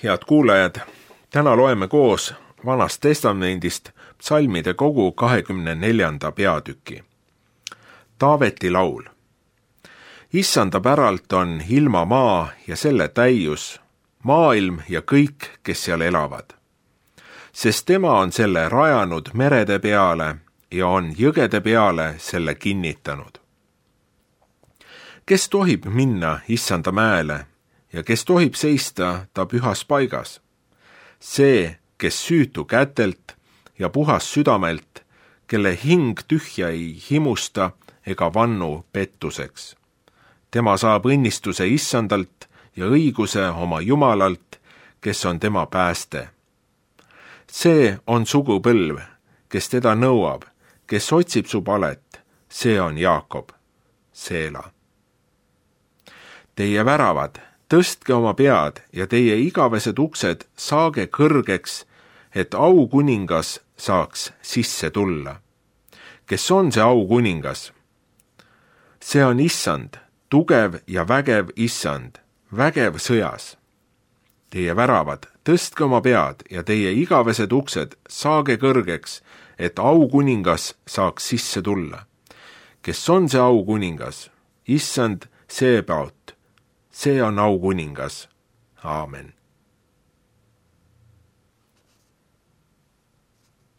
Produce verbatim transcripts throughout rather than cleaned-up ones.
Head kuulajad, täna loeme koos Vanast Testamendist psalmide kogu kahekümne neljanda peatüki. Taaveti laul. Issanda päralt on ilma maa ja selle täius, maailm ja kõik, kes seal elavad. Sest tema on selle rajanud merede peale ja on jõgede peale selle kinnitanud. Kes tohib minna Issanda mäele ja kes tohib seista ta pühas paigas? See, kes süütu kätelt ja puhas südamelt, kelle hing tühja ei himusta ega vannu pettuseks. Tema saab õnnistuse Issandalt ja õiguse oma Jumalalt, kes on tema pääste. See on sugupõlv, kes teda nõuab, kes otsib su palet, see on Jaakob, Seela. Teie väravad, tõstke oma pead ja teie igavesed uksed saage kõrgeks, et aukuningas saaks sisse tulla. Kes on see aukuningas? See on Issand, tugev ja vägev Issand, vägev sõjas. Teie väravad, tõstke oma pead ja teie igavesed uksed saage kõrgeks, et aukuningas saaks sisse tulla. Kes on see aukuningas? Issand Seebaot. See on aukuningas. Aamen.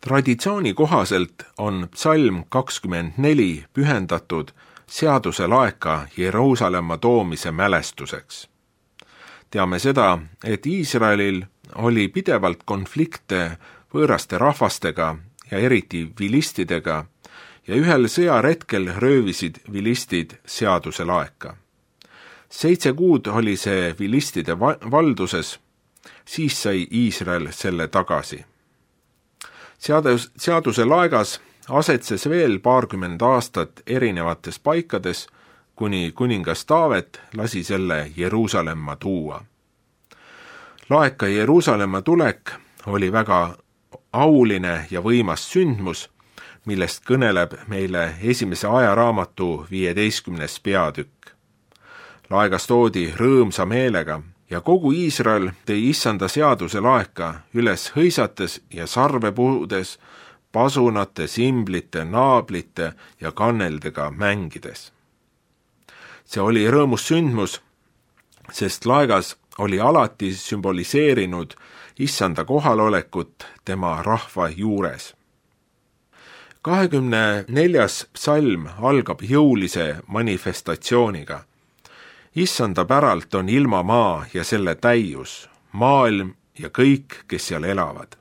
Traditsiooni kohaselt on psalm kakskümmend neli pühendatud seaduse laeka Jeruusalemma toomise mälestuseks. Teame seda, et Iisraelil oli pidevalt konflikte võõraste rahvastega ja eriti vilistidega ja ühel sõjaretkel röövisid vilistid seaduse laeka. Seitse kuud oli see vilistide valduses, siis sai Iisrael selle tagasi. Seadus, seaduse laegas asetses veel paarkümmend aastat erinevates paikades, kuni kuningas Taavet lasi selle Jeruusalemma tuua. Laeka Jeruusalemma tulek oli väga auline ja võimas sündmus, millest kõneleb meile esimese ajaraamatu viieteistkümnes peatükk. Laegas toodi rõõmsa meelega ja kogu Iisrael tõi Issanda seaduse laeka üles hõisates ja sarvepuudes, pasunate, simblite, naablite ja kanneldega mängides. See oli rõõmus sündmus, sest laegas oli alati sümboliseerinud Issanda kohalolekut tema rahva juures. kahekümne neljas psalm algab jõulise manifestatsiooniga. Issanda päralt on ilma maa ja selle täius, maailm ja kõik, kes seal elavad.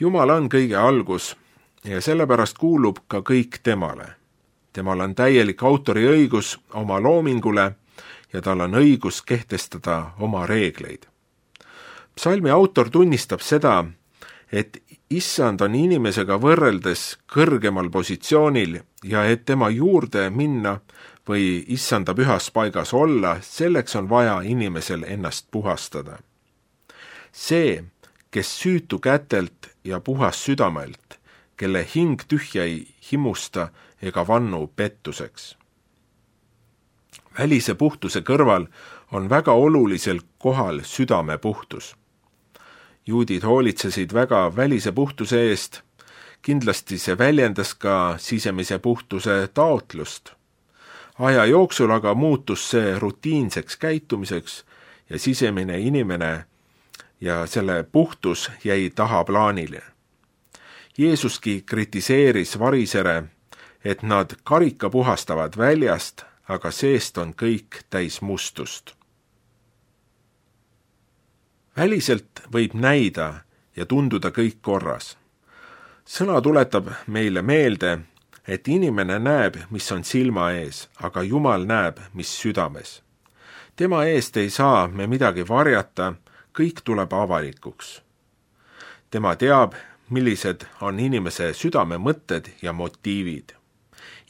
Jumal on kõige algus ja sellepärast kuulub ka kõik temale. Temal on täielik autoriõigus oma loomingule ja tal on õigus kehtestada oma reegleid. Psalmi autor tunnistab seda, et Issand on inimesega võrreldes kõrgemal positsioonil ja et tema juurde minna või Issanda pühas paigas olla, selleks on vaja inimesel ennast puhastada. See, kes süütu kätelt ja puhas südamelt, kelle hing tühja ei himusta ega vannu pettuseks. Välise puhtuse kõrval on väga olulisel kohal südame puhtus. Juudid hoolitsesid väga välise puhtuse eest, kindlasti see väljendas ka sisemise puhtuse taotlust. Aja jooksul aga muutus see rutiinseks käitumiseks ja sisemine inimene ja selle puhtus jäi tahaplaanile. Jeesuski kritiseeris varisere, et nad karika puhastavad väljast, aga seest on kõik täis mustust. Väliselt võib näida ja tunduda kõik korras. Sõna tuletab meile meelde, et inimene näeb, mis on silma ees, aga Jumal näeb, mis südames. Tema eest ei saa me midagi varjata, kõik tuleb avalikuks. Tema teab, millised on inimese südame mõtted ja motiivid.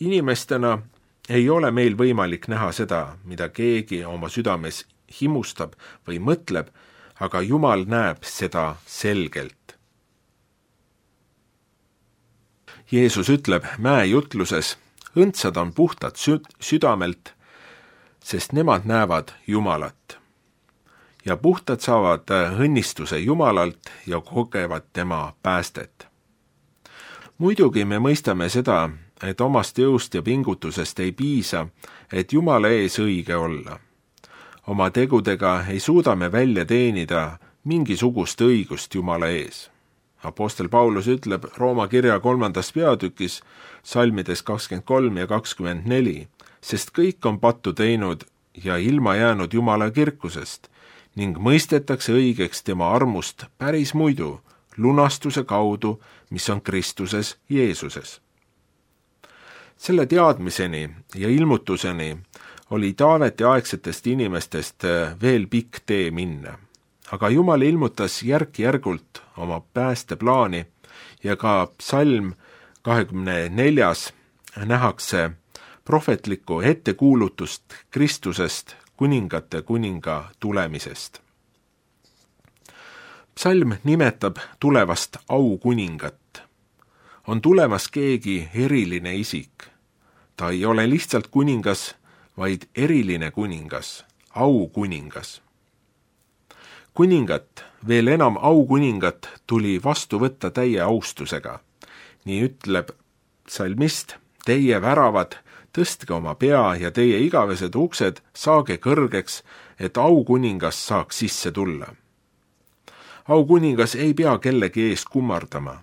Inimestena ei ole meil võimalik näha seda, mida keegi oma südames himustab või mõtleb, aga Jumal näeb seda selgelt. Jeesus ütleb mäejutluses, õndsad on puhtad südamelt, sest nemad näevad Jumalat. ja puhtad saavad õnnistuse Jumalalt ja kogevad tema päästet. Muidugi me mõistame seda, et omast jõust ja pingutusest ei piisa, et Jumala ees õige olla. Oma tegudega ei suuda me välja teenida mingisugust õigust Jumala ees. Apostel Paulus ütleb Rooma kirja kolmandas peatükis, salmides kakskümmend kolm ja kakskümmend neli, sest kõik on pattu teinud ja ilma jäänud Jumala kirkusest ning mõistetakse õigeks tema armust päris muidu, lunastuse kaudu, mis on Kristuses Jeesuses. Selle teadmiseni ja ilmutuseni oli Taaveti aegsetest inimestest veel pikk tee minna. Aga Jumal ilmutas järk-järgult oma päästeplaani ja ka psalm kahekümne neljas nähakse prohvetlikku ettekuulutust Kristusest kuningate kuninga tulemisest. Psalm nimetab tulevast aukuningat. On tulemas keegi eriline isik. Ta ei ole lihtsalt kuningas, vaid eriline kuningas, aukuningas. Kuningat, veel enam aukuningat, tuli vastu võtta täie austusega. Nii ütleb psalmist, teie väravad, tõstke oma pea ja teie igavesed uksed saage kõrgeks, et aukuningas saaks sisse tulla. Aukuningas ei pea kellegi ees kummardama.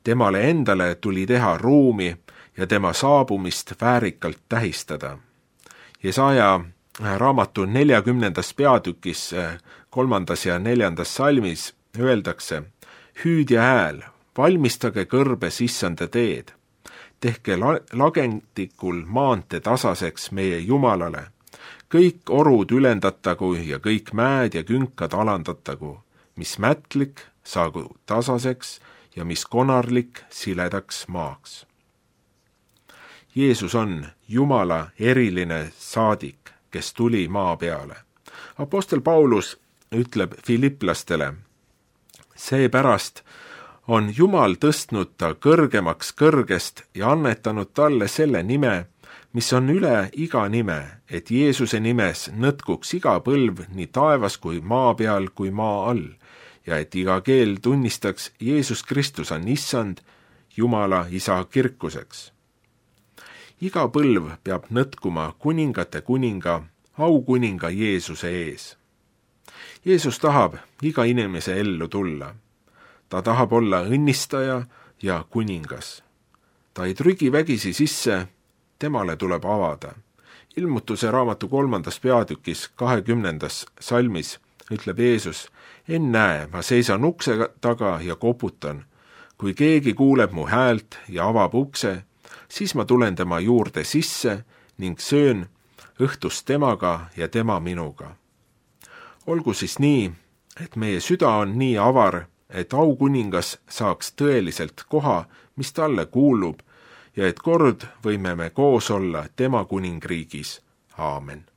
Temale endale tuli teha ruumi ja tema saabumist väärikalt tähistada. Jesaja raamatu neljakümnendas peatükis kolmandas ja neljandas salmis öeldakse, hüüdja hääl, valmistage kõrbes issanda teed, tehke la- lagendikul maante tasaseks meie Jumalale, kõik orud ülendatagu ja kõik mäed ja künkad alandatagu, mis mätlik saagu tasaseks ja mis konarlik siledaks maaks. Jeesus on Jumala eriline saadik, kes tuli maa peale. Apostel Paulus ütleb filiplastele, seepärast on Jumal tõstnud ta kõrgemaks kõrgest ja annetanud talle selle nime, mis on üle iga nime, et Jeesuse nimes nõtkuks iga põlv nii taevas kui maa peal kui maa all ja et iga keel tunnistaks Jeesus Kristus on issand, Jumala isa kirkuseks. Iga põlv peab nõtkuma kuningate kuninga, aukuninga Jeesuse ees. Jeesus tahab iga inimese ellu tulla. Ta tahab olla õnnistaja ja kuningas. Ta ei trügi vägisi sisse, temale tuleb avada. Ilmutuse raamatu kolmandas peatükis kahekümnendas salmis ütleb Jeesus, ennäe, ma seisan ukse taga ja koputan. Kui keegi kuuleb mu häält ja avab ukse, siis ma tulen tema juurde sisse ning söön õhtust temaga ja tema minuga. Olgu siis nii, et meie süda on nii avar, et aukuningas saaks tõeliselt koha, mis talle kuulub, ja et kord võime me koos olla tema kuningriigis. Aamen.